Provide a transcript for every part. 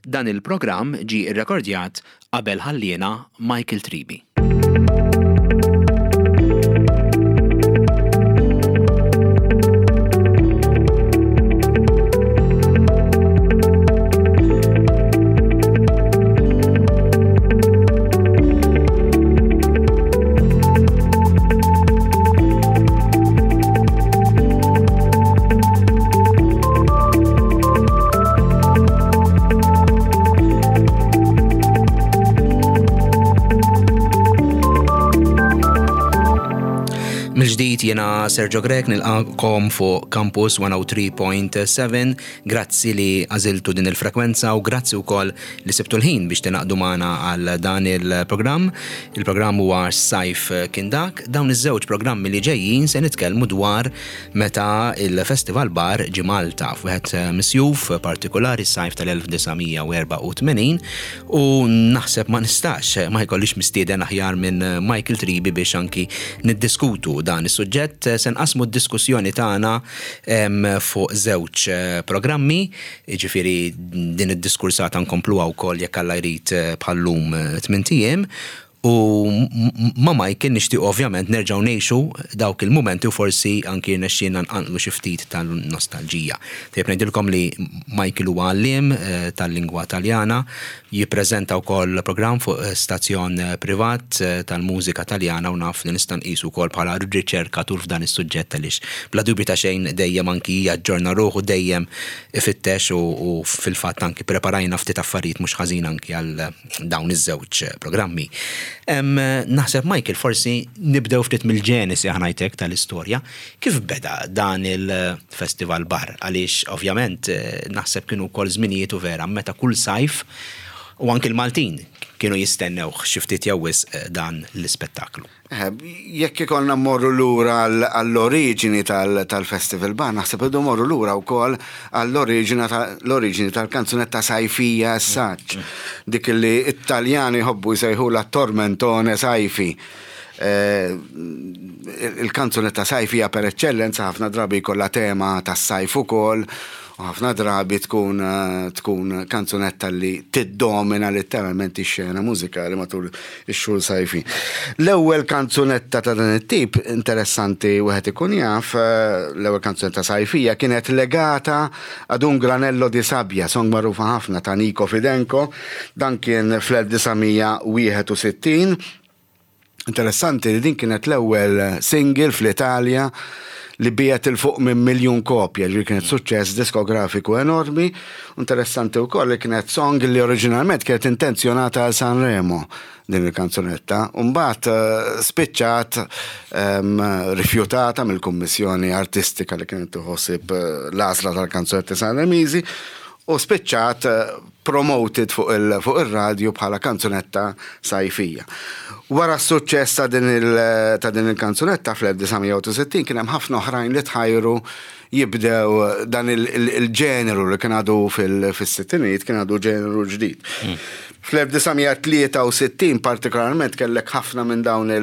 Dan il-programm ġie rrekordjat qabel ħalliena Michael Tribi. Mill-ġdid jiena Sergio Grech nilqakom fuq Campus 103.7. Grazzi li għażiltu din il-frekwenza u grazzi wkoll li sibtu l-ħin biex tingħaqdu magħna għal dan il-programm. Il-programm huwa Sajf kien dak. Dawn iż-żewġ programmi li ġejjin se nitkellmu dwar meta il-Festival Bar ġie Malta f'wieħed misjuf partikolari s-sajf tal-1984 u naħseb ma nistax ma jkollix mistieden aħjar minn Michael Tribi biex anki niddiskutu dan is-suġġett. Se nqassmu d-diskussjoni tagħna fuq żewġ programmi. Jiġifieri din id-diskursata nkompluha wkoll jekk Alla jrid bħal-lum tmint ijiem. U ma' Michael nixtiequ ovvjament nerġgħu ngħixu dawk il-mumenti u forsi anki jirnexxielna nqanqlu xi ftit tal-nostalġija. Tajjeb ngħidilkom li Michael huwa għalliem tal-lingwa Taljana, Jippreżenta wkoll programm fuq stazzjon privat tal-mużika Taljana u naf li nista' nqisu wkoll bħala riċerkatur f'dan is-suġġett għaliex bla dubju ta' xejn dejjem anki jaġġorna ruħu, dejjem ifittex u fil-fatt anki ppreparajna ftit affarijiet mhux ħażin anki għal dawn iż-żewġ programmi. Naħseb Michael forsi nibdew ftit mill-ġenesi ħa ngħid hekk tal-istorja. Kif beda dan il-festival bar? Għaliex ovvjament naħseb kienu wkoll żminijiet u vera meta kull sajf u anki l-Maltin kienu jistennewh xi ftit jew wisq dan l-ispettaklu. Jekk ikollna mmorru lura għall-oriġini tal-festival bar, naħseb irridu mmorru lura wkoll għall-oriġini tal-kanzunetta sajfija as such, dik li t-Taljani jħobbu jsejħulha tormentone sajfi. Il-kanzunetta sajfija per eċċellenza ħafna drabi jkollha tema tas-sajf ukoll u ħafna drabi tkun tkun kanzunetta li tiddomina litteralment ix-xena mużikali matul ix-xhur sajfin. L-ewwel kanzunetta ta' dan it-tip, interessanti wieħed ikun jaf, l-ewwel kanzunetta sajfija kienet legata ad un granello di sabbia, song magħrufa ħafna ta' Nico Fidenco, dan kien fl-1961. Interessanti li din kienet l-ewwel single fl-Italja li biegħet 'il fuq minn miljun kopja, ġifieri kienet suċċess diskografiku enormi. Interessanti wkoll li kienet song li oriġinalment kienet intenzjonata għal Sanremo din il-kanzunetta, u mbagħad eh, spiċċat ehm, rifjutata mill-Kummissjoni Artistika li kienet tħossib eh, l-għażla tal-kanzunetti Sanremiżi u spiċċat eh, promoted fuq ir-radju bħala kanzunetta sajfija. Wara s-suċċess ta' din ta' din il-kanzunetta fl-1960 kien hemm ħafna oħrajn li tħajru jibdew dan il-ġeneru li kien għadu fis-sittinijiet kien għadu ġeneru ġdid. Fl-1963 partikolarment kellek ħafna minn dawn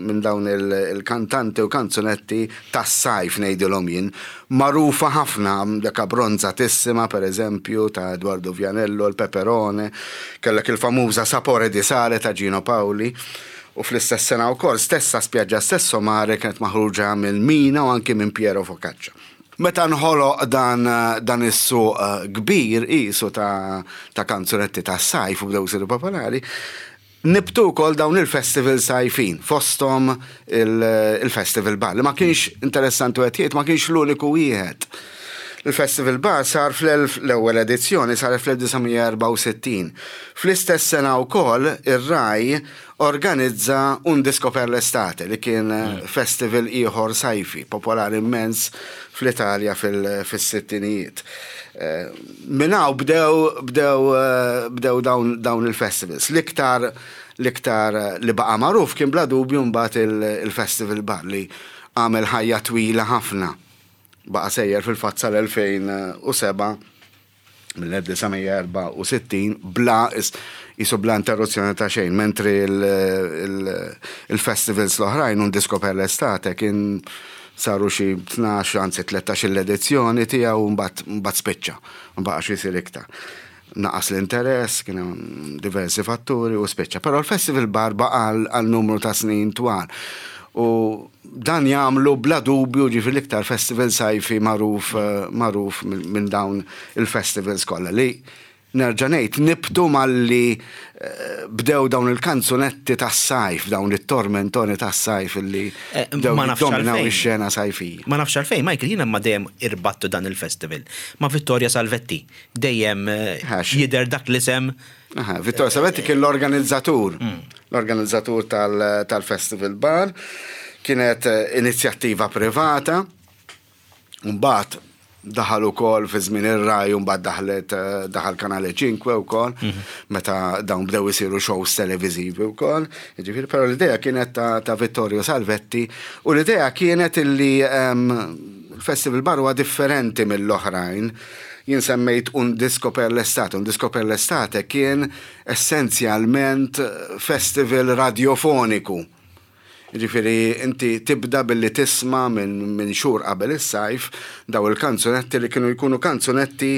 minn dawn il-kantanti u kanzunetti tas-sajf ngħidilhom jien, Magħrufa ħafna, dak Abbronzatissima, per eżempju, ta' Eduardo Vianello, il Peperone, kellek il-famuża Sapore di Sale ta' Gino Paoli, u fl-istess sena wkoll, stessa Spiaggia Stesso Mare kienet maħruġa minn Mina u anki minn Piero Focaccia. Meta nħoloq dan dan is-suq kbir qisu ta' ta' kanzunetti tas-sajf u bdew isiru popolari, Nibtu wkoll dawn il-festivals sajfin, fosthom il-Festival Bar, li ma kienx interessanti wieħed jgħid ma kienx l-uniku wieħed. Il-Festival Bar sar fl-ewwel edizzjoni saret fl-1964. Fl-istess sena wkoll ir-Rai organizza Un Disco per l'Estate li kien festival ieħor sajfi, popolari immens fl-Italja fis-sittinijiet. Minn hawn bdew bdew bdew dawn dawn il-festivals. L-iktar l-iktar li baqa' magħruf kien bla dubju mbagħad il-Festival Bar li għamel ħajja twila ħafna. Baqa' sejjer fil-fatt sal-2007 mill-1964 bla qisu bla interruzzjoni ta' xejn, mentri il-festivals l-oħrajn Un Disco per l'Estate kien saru xi 12 anzi 13-il edizzjoni tiegħu u mbagħad mbagħad spiċċa, ma baqax isir iktar. naqas l-interess, kien hemm diversi fatturi u spiċċa. Però l-Festival Bar baqa' għal numru ta' snin twal. U dan jagħmlu bla dubju ġifieri l-iktar festival sajfi magħruf magħruf minn dawn il-festivals kollha li Nerġa' ngħid, nibtu malli bdew dawn il-kanzunetti tas-sajf, dawn it-tormentoni tas-sajf illi bdew jiddominaw ix-xena sajfija. Ma nafx għalfejn, Michael, jiena imma dejjem irbattu dan il-festival ma' Vittoria Salvetti. Dejjem jidher dak l-isem. Vittorio Salvetti kien l-organizzatur, l-organizzatur tal-Festival Bar. Kienet inizjattiva privata. Mbagħad daħal ukoll fi żmien ir-Rai u mbagħad daħlet daħal Canale 5 wkoll mhm. meta dawn bdew isiru shows televiżivi wkoll. Jiġifieri però l-idea kienet ta', ta Vittorio Salvetti u l-idea kienet illi ehm, il-Festival Bar huwa differenti mill-oħrajn. Jien semmejt un disco per l'estate, un disco per l'estate kien essenzjalment festival radiofoniku. Jiġifieri inti tibda billi tisma' minn xhur qabel is-sajf daw il-kanzunetti li kienu jkunu kanzunetti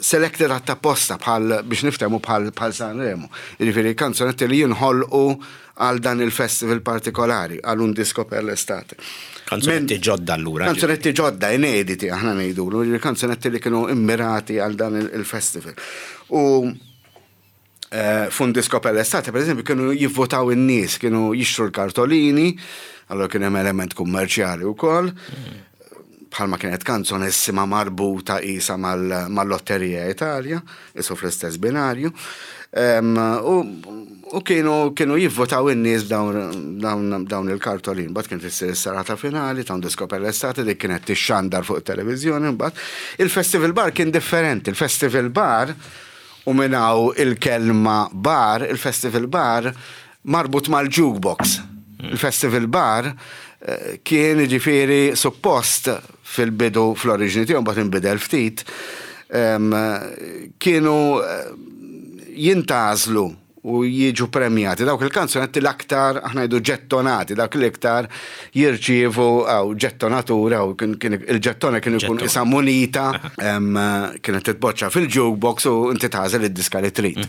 selected għat-tapposta bħal biex niftehmu bħal bħal Sanremo. Jiġifieri kanzunetti li jinħolqu għal dan il-festival partikolari, għal un disco per l'estate. Kanzunetti ġodda allura. Kanzunetti ġodda, inediti aħna ngħidulu, kanzunetti li kienu immirati għal dan il-festival. U Eh, f'un disco per l'estate, per eżempju, kienu jivvotaw in-nies, kienu jixtru l-kartolini, allora kien hemm element kummerċjali wkoll. Bħalma kienet kanzonissima marbuta isa mal-Lotterija Italia, isu fl-istess binarju. U kienu kienu jivvotaw in-nies dawn il-kartolin. Mbagħad kienet issir is-serata finali ta' un disco per l'estate li kienet tixxandar fuq it-televiżjoni mbagħad. Il-Festival Bar kien differenti. Il-Festival Bar U minn hawn il-kelma bar, il-festival bar, marbut mal-jukebox. Il-festival bar kien jiġifieri suppost fil-bidu fl-oriġini tiegħu mbagħad inbidel ftit, kienu jintgħażlu u jiġu premjati dawk il-kanzunetti l-aktar aħna ngħidu ġettonati, dawk l-iktar jirċievu għaw ġettonatura u il-ġettona kien ikun isa munita kienet titboċċa fil-jukebox u inti tagħżel id-diska li trid.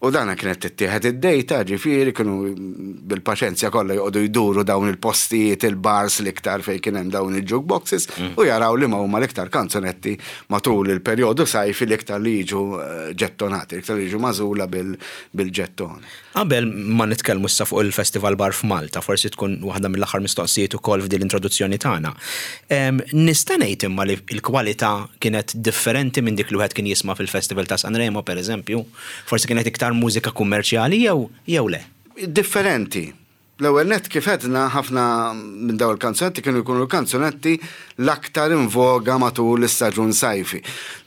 U dana kienet tittieħed id-dejta, ġifieri kienu bil-paċenzja kollha joqogħdu jduru dawn il-postijiet, il-bars l-iktar fejn kien hemm dawn il-jukeboxes u jaraw li ma huma l-iktar kanzunetti matul il-perjodu sajfi l-iktar li jiġu ġettonati, l-iktar li jiġu magħżula bil-ġettoni. Qabel ma nitkellmu issa fuq il-Festival Bar f'Malta, forsi tkun waħda mill-aħħar mistoqsijiet ukoll f'din l-introduzzjoni tagħna. Nista' ngħid imma li l-kwalità kienet differenti minn dik li wieħed kien jisma' fil-Festival ta' Sanremo, pereżempju? Forsi kienet iktar mużika kummerċjali jew jew le? Differenti. L-ewwel nett kif għedna ħafna minn dawn il-kanzunetti kienu jkunu l-kanzunetti l-aktar in voga matul l-istaġun sajfi,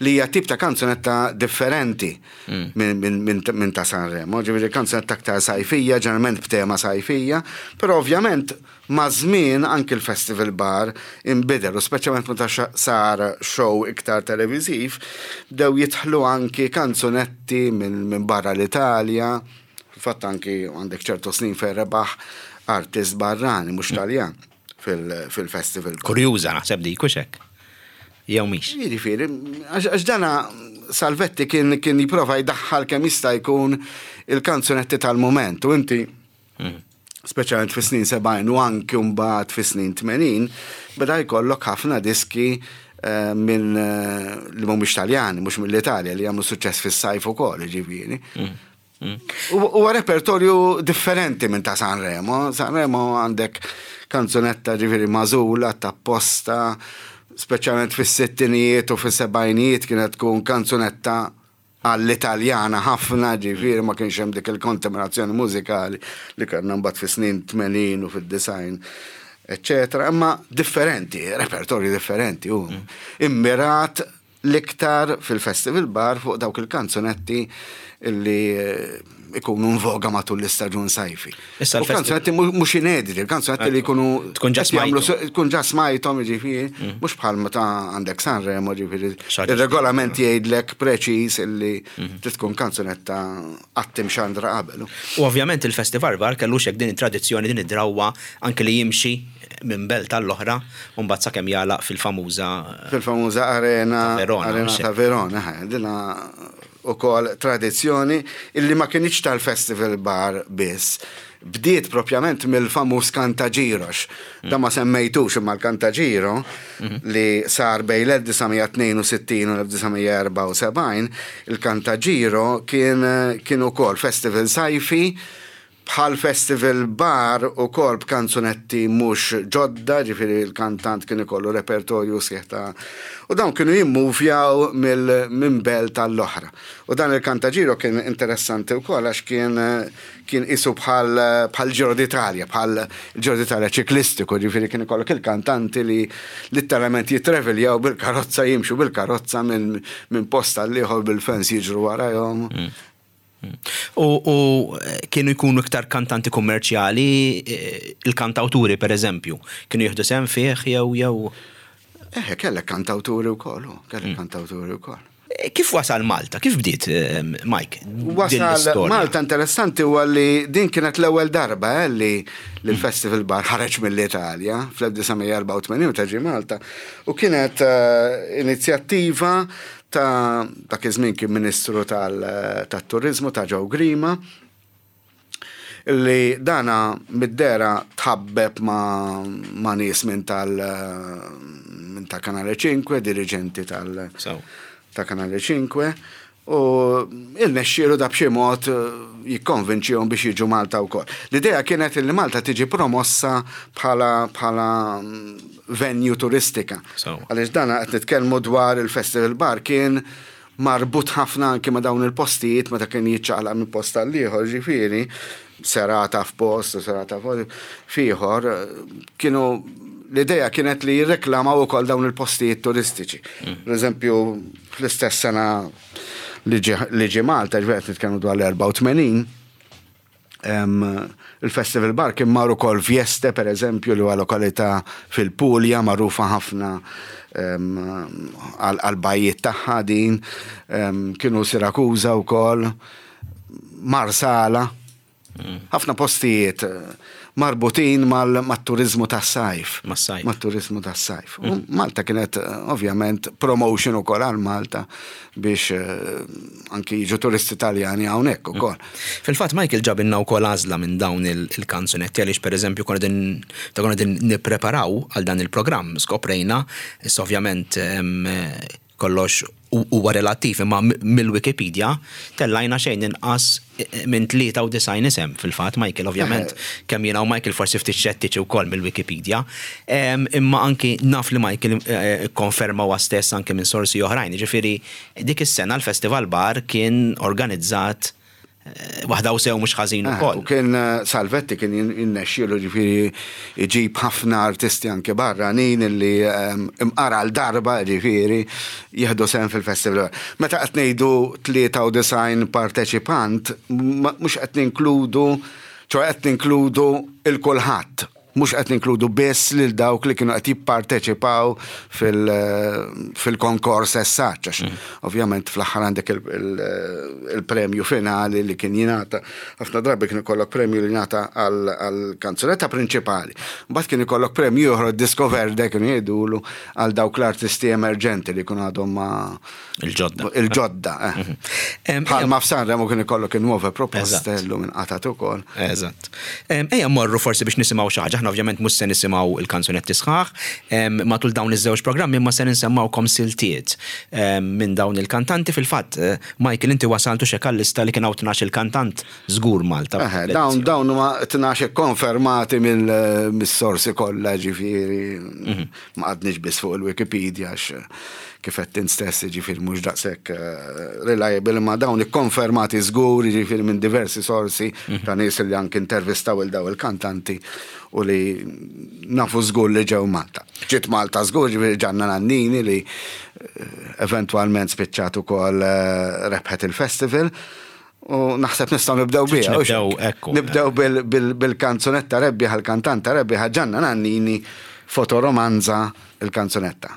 li hija tip ta' kanzunetta differenti minn ta' Sanremo, ġifieri kanzunetta aktar sajfija, ġeneralment b'tema sajfija, però ovvjament maż-żmien anki l-Festival Bar inbidel u speċjalment meta sar show iktar televiżiv, bdew jidħlu anki kanzunetti minn barra l-Italja, Fil-fatt anki għandek ċertu snin fejn rebaħ artist barrani mhux Taljan fil-festival. Kurjuża naħseb dik hux hekk. Jew mhix. Jiġifieri, għax dana Salvetti kien kien jipprova jdaħħal kemm jista' jkun il-kanzunetti tal-mument u inti mm. speċjalment fis-snin 70 u anki mbagħad fis-snin 80 beda jkollok ħafna diski eh, minn eh, li mhumiex Taljani, mhux mill-Italja li jagħmlu suċċess fis-sajf ukoll, jiġifieri. Mm. Huwa repertorju differenti minn ta' Sanremo. Sanremo għandek kanzunetta ġifieri magħżula tapposta, speċjalment fis-sittinijiet u fis-sebgħinijiet kienet tkun kanzunetta għall-Italjana ħafna, ġifieri ma kienx hemm dik il-kontaminazzjoni mużikali li kellna mbagħad fis-snin 80 u fid-90 eċċetera, imma differenti, repertorju differenti, u immirat l-iktar fil-Festival Bar fuq dawk il-kanzunetti li ikunu in voga matul l-istaġun sajfi. Issa l-kanzunetti mhux inediti, il-kanzunetti li jkunu tkun ġa smajthom. Tkun ġa smajthom, jiġifieri, mm. mhux bħal meta għandek Sanremo, ġifieri. Ir-regolament jgħidlek preċiż illi mm. trid tkun kanzunetta qatt imxandra qabel. U ovvjament il-Festival Bar kellu xek din it-tradizzjoni, din id-drawwa anke li jimxi. minn belt għall-oħra u mbagħad sakemm jagħlaq fil-famuża Fil-famuża arena ta' Verona, arena ta' Verona, dina ukoll tradizzjoni illi ma kinitx tal-Festival Bar biss. Bdiet propjament mill-famuż Cantagiro, da ma semmejtux imma l-Cantagiro li sar bejn l-1962 u l-1974, il-Cantagiro kien kien ukoll festival sajfi bħal Festival Bar ukoll b'kanzunetti mhux ġodda, ġifieri l-kantant kien ikollu repertorju sħiħ ta' u dawn kienu jimmuvjaw mill minn belt għall-oħra. U dan il-Cantagiro kien interessanti wkoll għax kien kien qisu bħal bħal Giro d'Italia, bħal Giro d'Italia ċiklistiku, ġifieri kien ikollok il-kantanti li litteralment jitreviljaw bil-karozza, jimxu bil-karozza minn minn post għall-ieħor bil-fans jiġru warajhom. U, u kienu jkunu iktar kantanti kummerċjali, il-kantawturi per eżempju, kienu jieħdu sehem fih jew jew. Eħe, kellek kantawturi wkoll, kellek kantawturi wkoll. Kif wasal Malta? Kif bdiet, Mike? Wasal Malta interessanti huwa li din kienet l-ewwel darba eh, li l-Festival Bar ħareġ mill-Italja fl-1984 meta ġie Malta u kienet eh, inizjattiva ta' dak iż-żmien kien Ministru tat-Turiżmu ta' Joe Grima li dana mid-dehra tħabbeb ma' ma' nies minn tal minn ta' Canale 5, diriġenti tal ta' Canale 5 u irnexxielu da b'xi mod jikkonvinċihom biex jiġu Malta wkoll. L-idea kienet li Malta tiġi promossa bħala bħala venue turistika. Għaliex dan qed nitkellmu dwar il-Festival Bar kien marbut ħafna anki ma' dawn il-postijiet meta kien jiċċaqlaq minn post għal ieħor, ġifieri serata f'post u serata f'ieħor, kienu l-idea kienet li jirreklamaw ukoll dawn il-postijiet turistiċi. Per eżempju, fl-istess sena li ġie Malta, ġifieri qed nitkellmu dwar l-84, Il-Festival Bar kien mar ukoll Vieste, per eżempju, li huwa lokalità fil-Puglia magħrufa ħafna għall-bajjiet tagħha din. Kienu Sirakuża wkoll, Marsala. Ħafna postijiet marbutin mat-turiżmu tas-sajf. Mas-sajf. Mat-turiżmu tas-sajf. U Malta kienet ovvjament promotion ukoll għal Malta biex anki jiġu turisti Taljani hawnhekk ukoll. Fil-fatt Michael ġabilna wkoll għażla minn dawn il-kanzunetti għaliex pereżempju konna qegħdin meta konna qegħdin nippreparaw għal dan il-programm skoprejna, issa ovvjament kollox huwa relattiv imma mill-Wikipedia tellajna xejn inqas minn 93 isem fil-fatt Michael ovvjament kemm jiena u Michael forsi ftit xettiċi wkoll mill-Wikipedia imma anki naf li Michael ikkonferma huwa stess anki minn sorsi oħrajn jiġifieri Dik is-sena l-Festival Bar kien organizzat waħda u sew mhux ħażin ukoll. U kien Salvetti kien jinnexxielu ġifieri jġib ħafna artisti anke barranin illi imqar għal darba ġifieri jieħdu sehem fil-festival. Meta qed ngħidu 93 parteċipant mhux qed ninkludu, ċoe qed ninkludu 'l kulħadd. Mhux qed ninkludu biss lil dawk li kienu qed jipparteċipaw fil-konkors as such, għax ovvjament fl-aħħar għandek il-premju finali li kien jingħata. Ħafna drabi kien ikollok premju li jingħata għall-kanzunetta prinċipali. Mbagħad kien ikollok premju ieħor Disco Verde kienu jgħidulu għal dawk l-artisti emerġenti li jkunu għadhom ma Il-ġodda. Il-ġodda, eh. Bħalma f'Sanremo kien ikollok in-nuove proposte llum inqatgħet ukoll. Eżatt. Ejja mmorru forsi biex nisimgħu xi ħaġa. Aħna ovvjament mhux se nisimgħu l-kanzunetti sħaħ matul dawn iż-żewġ programmi imma se nsemmgħukom siltiet minn dawn il-kantanti. Fil-fatt, Michael inti wasalt u xek għal-lista li kien hawn 12-il kantant żgur Malta. Eħe, dawn dawn huma 12 ikkonfermati mis-sorsi kollha ġifieri. Ma qgħadniex biss fuq il-Wikipedia għax kif għedt int stess jiġifieri mhux daqshekk reliable imma dawn ikkonfermati żgur jiġifieri minn diversi sorsi ta' nies li anki intervistaw il daw il-kantanti u li nafu żgur li ġew Malta. Ġiet Malta żgur jiġifieri Gianna Nannini li eventwalment spiċċat ukoll rebħet il-festival. U naħseb nistgħu nibdew biha. Nibdew, ekku. Nibdew bil-kanzunetta rebbieħa, l-kantanta rebbieħa Gianna Nannini, Fotoromanza, il-kanzunetta.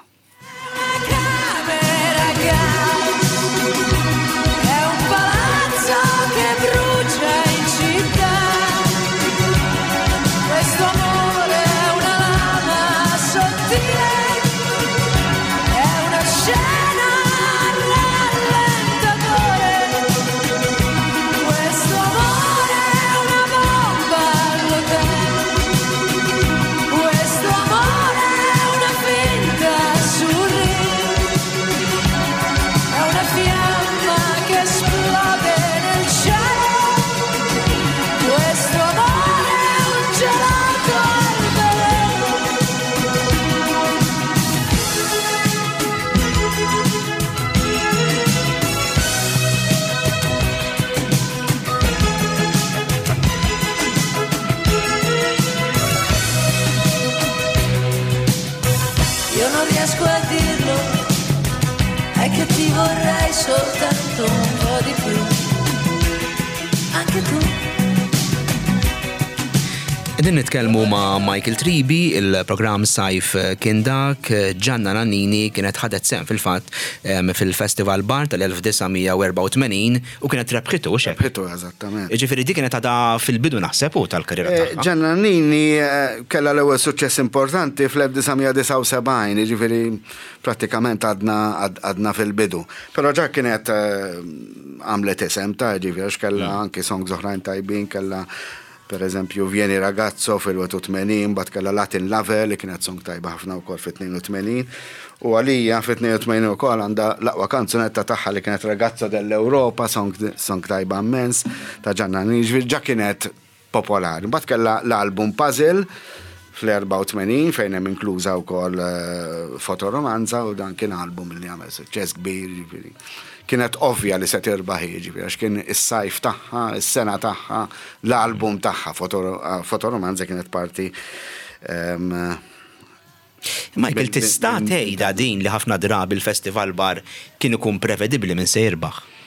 Soltanto un po' di più. Anche tu. Qegħdin nitkellmu ma' Michael Tribi, il-programm Sajf kien dak, Gianna Nannini kienet ħadet sehem fil-fatt fil-Festival Bar tal-1984 u kienet rebħitu, hux hekk? Rebħitu, eżattament. Jiġifieri di kienet għadha fil-bidu naħseb hu tal-karriera tagħha. Gianna Nannini kellha l-ewwel suċċess importanti fl-1979, jiġifieri prattikament għadna għadna fil-bidu. Però ġa kienet għamlet isem ta' jiġifieri għax kellha anki songs oħrajn tajbin, kellha Per eżempju, Vieni Ragazzo fil-81, mbagħad kellha Latin Lover li kienet song tajba ħafna wkoll fit-82. U għalija fit-82 ukoll għandha l-aqwa kanzunetta tagħha li kienet Ragazzo dell'Europa, song, song tajba immens ta' Gianna Nannini, ġifieri ġa kienet popolari. Mbagħad kellha l-album Puzzle fl-84 fejn hemm inkluża wkoll Fotoromanza u dan kien album li għamel suċċess kbir, ġifieri. Kienet ovvja li se tirbaħ hi, ġifieri għax kien is-sajf tagħha, is-sena tagħha, l-album tagħha, Fotoromanza kienet parti Michael, tista' tgħidha din li ħafna drabi l-Festival Bar kien ikun prevedibbli min se jirbaħ?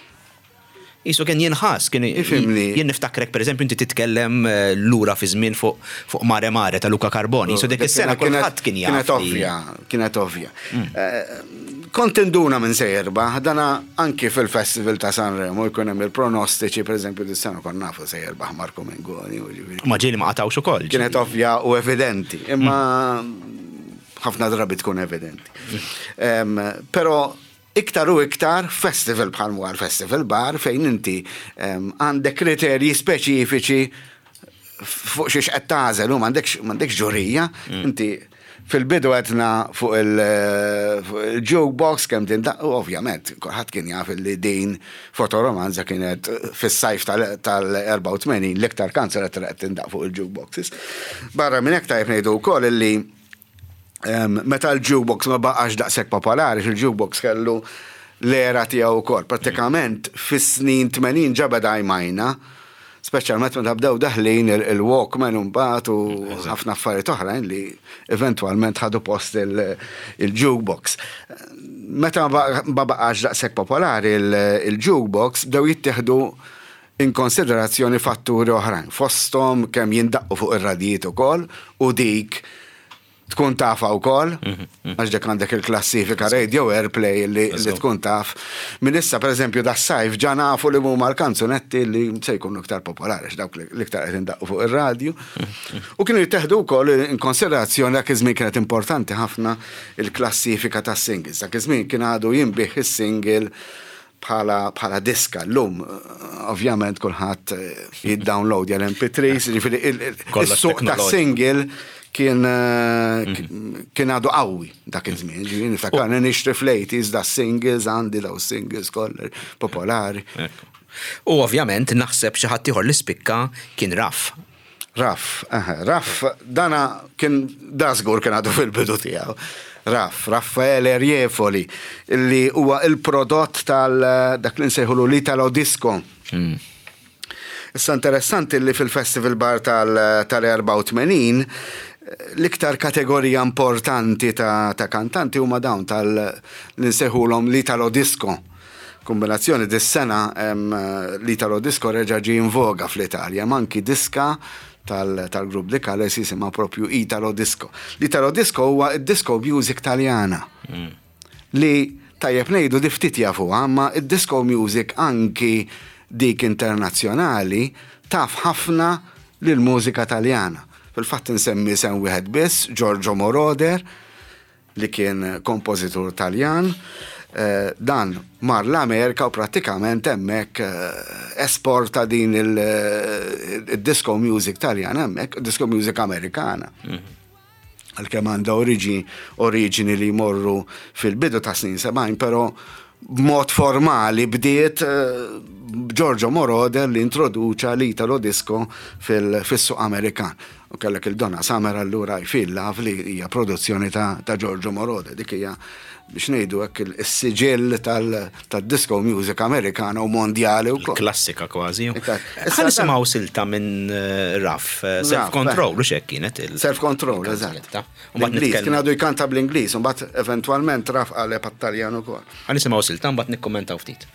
Qisu kien jinħass, kien Ifhimni. Jien niftakrek pereżempju inti titkellem lura fi żmien fuq fuq Mare Mare ta' Luca Carboni, qisu dik is-sena kulħadd kien jaf. Kienet ovvja, kienet ovvja. Kont induna minn se jirbaħ, dana anki fil-Festival ta' Sanremo jkun hemm il-pronostiċi, pereżempju dis-sena konna nafu se jirbaħ Marco Mengoni. Ma ġieli ma qatgħux ukoll. Kienet ovvja u evidenti, imma ħafna drabi tkun evidenti. Però Iktar u iktar f'festival bħal m'huwa l-Festival Bar fejn inti għandek kriterji speċifiċi fuq xiex qed tagħżel u m'għandekx m'għandekx ġurija. Inti fil-bidu għedna fuq il-jukebox kemm tindaqq u ovvjament kulħadd kien jaf li din Fotoromanza kienet fis-sajf tal-84 l-iktar kanzunetta li qed tindaqq fuq il-jukeboxes. Barra minn hekk tajjeb ngħidu wkoll illi Meta l-jukebox ma baqax daqshekk popolari, il-jukebox kellu l-era tiegħu wkoll. Prattikament fis-snin 80 ġa beda jmajna, speċjalment meta bdew daħlin il-Walkman imbagħad u ħafna affarijiet oħrajn li eventwalment ħadu post il-jukebox. Meta ma baqax daqshekk popolari il-jukebox bdew jittieħdu in konsiderazzjoni fatturi oħrajn, fosthom kemm jindaqqu fuq ir-radijiet ukoll u dik tkun tafha wkoll, għax dik għandek il-klassifika radio airplay li tkun taf. Minn issa pereżempju das-sajf ġa nafu li huma l-kanzunetti li se jkunu iktar popolari għax dawk l-iktar qed indaqqu fuq ir-radju. U kienu jittieħdu wkoll in konsiderazzjoni dak iż-żmien kienet importanti ħafna il-klassifika tas-singles. Dak iż-żmien kien għadu jinbigħ is-single bħala bħala diska llum ovvjament kulħadd jiddownloadja l-MP3s, jiġifieri is-suq tas-single kien kien għadu qawwi dak iż-żmien, ġifieri niftakarni nixtri fl-80s da singles għandi daw singles kollha popolari. U ovvjament naħseb xi ħadd ieħor li spikka kien Raff. Raff, eħe, Raff, dana kien, da żgur kien għadu fil-bidu tiegħu. Raff, Raffaele Riefoli, li huwa il-prodott tal dak li nsejħulu l-Italo Disco. Issa interessanti li fil-Festival Bar tal-84 l-iktar kategorija importanti ta' kantanti huma dawn tal li nsejħulhom l-Italo Disco. Kombinazzjoni dis-sena l-Italo Disco reġa' ġie in voga fl-Italja, hemm anki diska tal-grupp Di Cales jisimha propju Italo Disco. L-Italo Disco huwa d-disco music Taljana li tajjeb ngħidu di ftit jafuha, imma d-disco music anki dik internazzjonali taf ħafna lill-mużika Taljana. Fil-fatt insemmi isem wieħed biss, Giorgio Moroder, li kien kompożitur Taljan, dan mar l-Amerika u prattikament hemmhekk esporta din il-disco music Taljana hemmhekk, disco music Amerikana. Għalkemm għandha oriġini li jmorru fil-bidu ta' snin 70, però b'mod formali bdiet Giorgio Moroder li introduċa l-Italo Disco fis-suq Amerikan. U kellek il-Donna Summer allura I Feel Love li hija produzzjoni ta' Giorgio Moroder. Dik hija biex ngħidu hekk is-siġill tad-disco music Amerikana u mondjali wkoll. Klassika kważi. Issa nisimgħu silta minn eh, Raf, eh, Self Control, u xek kienet il. Self Control, eżatt. L-Ingliż, kien għadu jkanta bl-Ingliż, u mbagħad eventwalment Raf qaleb għat-Taljan ukoll. Ħa nisimgħu silta mbagħad nikkummentaw ftit.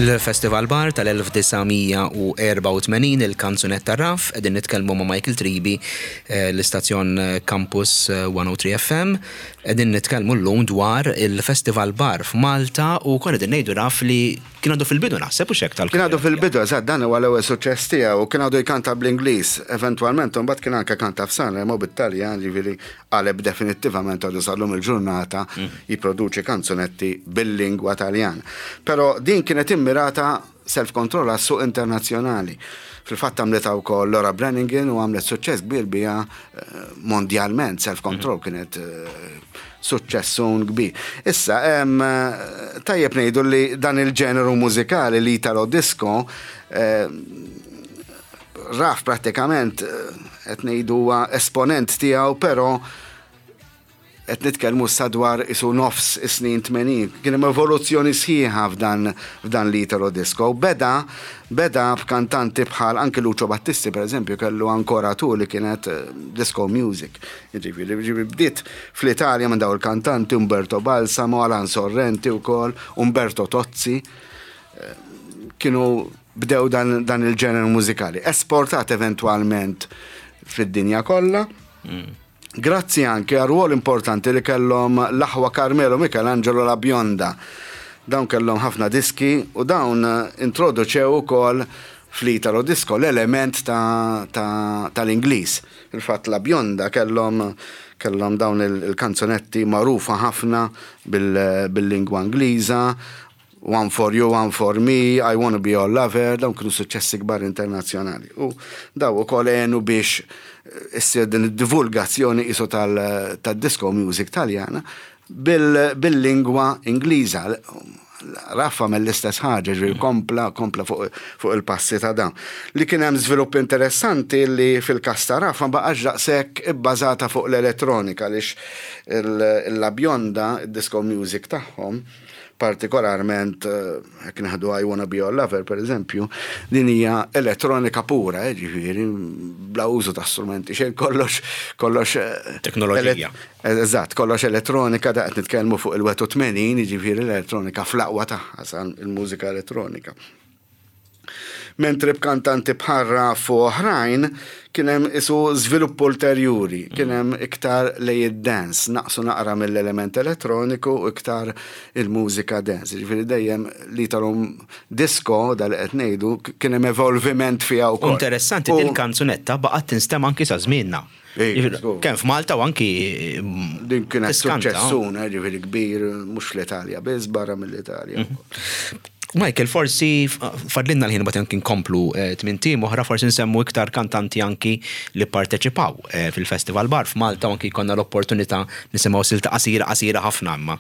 Il-Festival Bar tal-1984 il-kanzunetta Raf, qegħdin nitkellmu ma' Michael Tribi, eh, l-istazzjon Campus 103 FM, qegħdin nitkellmu llum dwar il-Festival Bar f'Malta u konna qegħdin ngħidu Raf li kien għadu fil-bidu naħseb u xek tal Kien għadu fil-bidu, eżatt, dan huwa l-ewwel suċċess tiegħu u kien għadu jkanta bl-Ingliż. Eventwalment imbagħad kien anke kanta f'Sanremo bit-Taljan, jiġifieri qaleb definittivament għadu sal-lum il-ġurnata jipproduċi kanzunetti bil-lingwa Taljan. Però din kienet immirata self-control għas-suq internazzjonali. Fil-fatt għamlitha wkoll Laura Branigan u għamlet suċċess kbir biha mondjalment, self-control kienet suċċessun kbir. Issa, tajjeb ngħidu li dan il-ġeneru mużikali li italo disco raf prattikament qed ngħidu huwa esponent tiegħu, però qed nitkellmu issa dwar isu nofs is-snin 80. Kien hemm evoluzzjoni sħiħa f'dan f'dan l-Italo Disco. Beda beda b'kantanti bħal anki Lucio Battisti pereżempju kellu Ancora Tu li kienet eh, disco music. Jiġifieri jiġifieri bdiet fl-Italja minn dawn il-kantanti Umberto Balsamo, Alan Sorrenti wkoll, Umberto Tozzi. Eh, kienu bdew dan, dan il-ġeneru mużikali. Esportat eventwalment fid-dinja kollha. Mm. Grazzi anke għar-rwol importanti li kellhom l-aħwa Carmelo Michelangelo La Bionda. Dawn kellhom ħafna diski u dawn introduċew ukoll fl-Italo Disco l-element tal-Ingliż. Fil-fatt La Bionda kellhom kellhom dawn il-kanzunetti magħrufa ħafna bil-lingwa Ingliża One for you, one for me, I wanna be your lover, dawn kienu suċċessi kbar internazzjonali. U daw ukoll għenu biex eh, issir din id-divulgazzjoni isu tal-disco music taljana bil-lingwa Ingliża. Raffa mill-istess ħaġa, ġifieri kompla, kompla fuq il-passi ta' dawn. Li kien hemm żvilupp interessanti li fil-każ ta' Raffa ma baqax daqshekk ibbażata fuq l-elettronika għaliex il-La Bionda, id-disco music tagħhom, partikolarment jekk nieħdu I Wanna Be Your Lover pereżempju, din hija elettronika pura, eh, ġifieri bla użu ta' strumenti xejn kollox kollox eh, teknoloġija. Eżatt, kollox elettronika da qed nitkellmu fuq il-81, jiġifieri l-elettronika fl-aqwa tagħha il-mużika elettronika. Mentri b'kantanti bħal Raf u oħrajn kien hemm isu żvilupp ulterjuri, kien hemm iktar lej id-dance, naqsu naqra mill-element elettroniku u iktar il-mużika dance. Jiġifieri dejjem li talhom disco dal qed ngħidu kien hemm evolviment fiha wkoll. Interessanti din kanzunetta baqgħet tinstema' anki sa żmienna. Kemm f'Malta u anki Din kienet suċċessun, eh, ġifieri kbir, mhux fl-Italja biss, barra mill-Italja. Mhm. Michael, forsi fadlinna l-ħin bat anki nkomplu eh, tmien tim oħra, forsi nsemmu iktar kantanti anki li parteċipaw eh, fil-Festival Bar f'Malta u anki konna l-opportunità nisimgħu silta qasira qasira ħafna imma.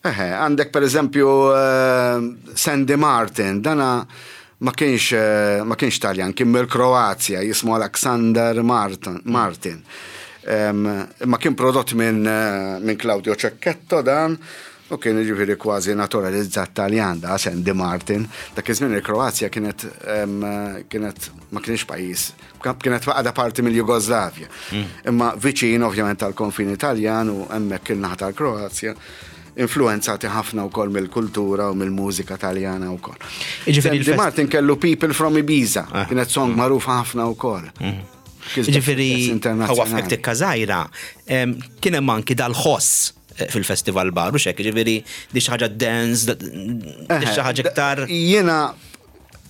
Eħe, għandek per eżempju eh, Sandy Martin, dana ma kienx ma kienx Taljan, kien mill-Kroazja, jismu Alexander Martin. Martin. Imma kien prodott minn min Claudio Cecchetto dan, U kien jiġifieri kważi naturalizzat Taljan da Sandy Martin. Dak iż-żmien il-Kroazja kienet kienet ma kienx pajjiż, kienet għadha parti mill-Jugoslavja. Mm. Imma viċin ovvjament tal-konfini Taljan u hemmhekk il-naħa tal-Kroazja. influenzati ħafna wkoll mill-kultura u mill-mużika Taljana wkoll. Jiġifieri Sandy Martin kellu People from Ibiza, ah. kienet song mm. magħrufa ħafna wkoll. Mm. Jiġifieri ħawafek tikka żgħira, kien hemm anki dal-ħoss eh, fil-festival bar u xek, ġifiri di xaħġa dance, di xaħġa iktar. Jena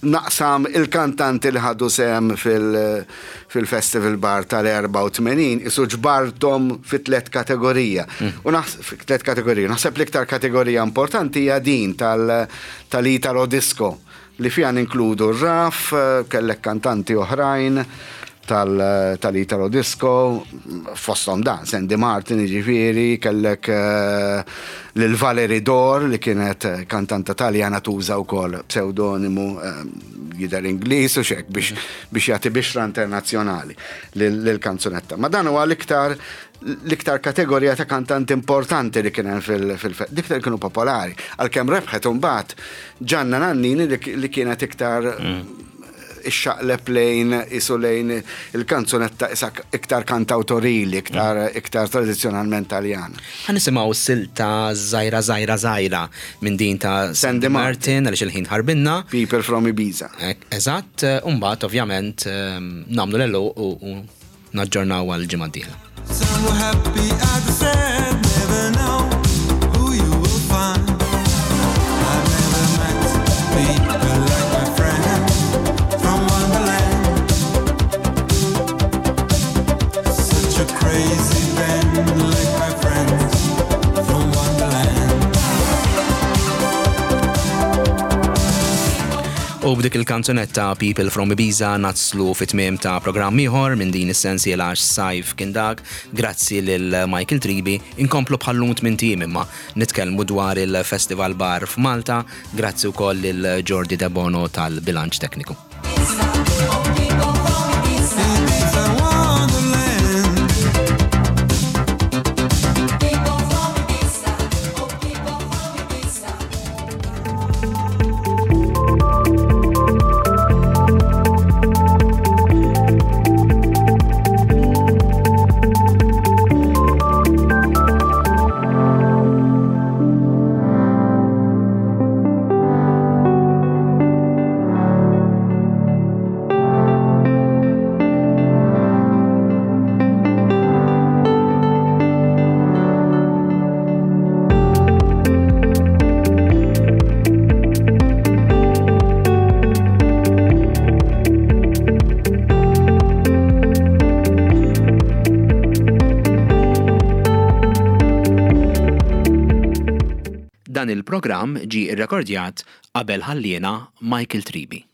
naqsam il-kantanti li ħadu sehem fil-Festival Bar tal-84 isu ġbarthom fi tlet kategorija. Mm. U fi tlet kategorija. Naħseb l-iktar kategorija importanti hija din tal-Italo Disco li fiha ninkludu r-Raf, kellek kantanti oħrajn tal-Italo Disco, fosthom dan, Sandy Martin jiġifieri, kellek lil Valerie Dor li kienet kantanta Taljana tuża wkoll pseudonimu jidher Ingliż u x'hekk biex biex jagħti bixra internazzjonali lill-kanzunetta. Ma dan huwa l-iktar l-iktar kategorija ta' kantanti importanti li kien hemm fil dik kienu popolari. Għalkemm rebħet imbagħad Gianna Nannini li kienet iktar mm. ixxaqleb lejn isu lejn il-kanzunetta isa iktar kantawtorili, iktar, mm. iktar tradizzjonalment Taljan. Ħa nisimgħu silta żgħira żgħira żgħira minn din ta' Sandy Martin għaliex il-ħin ħarbinna. People from Ibiza. Eżatt, u mbagħad ovvjament ehm, nagħmlu l u naġġornaw għal ġimgħa d-dieħla. So happy at the sad, never know who you will find. I've never met people like my friend from Wonderland. Such a crazy band like my friends from Wonderland. U b'dik il-kanzunetta People from Ibiza naslu fit-tmiem ta' programm ieħor minn din is-sensiela għax sajf kien dak. Grazzi lil Michael Tribi. Inkomplu bħallum tmint ijiem imma nitkellmu dwar il-Festival Bar f'Malta. Grazzi wkoll lil Jordi Debono tal-bilanċ tekniku. Dan il-programm ġie rrekordjat qabel ħalliena Michael Tribi.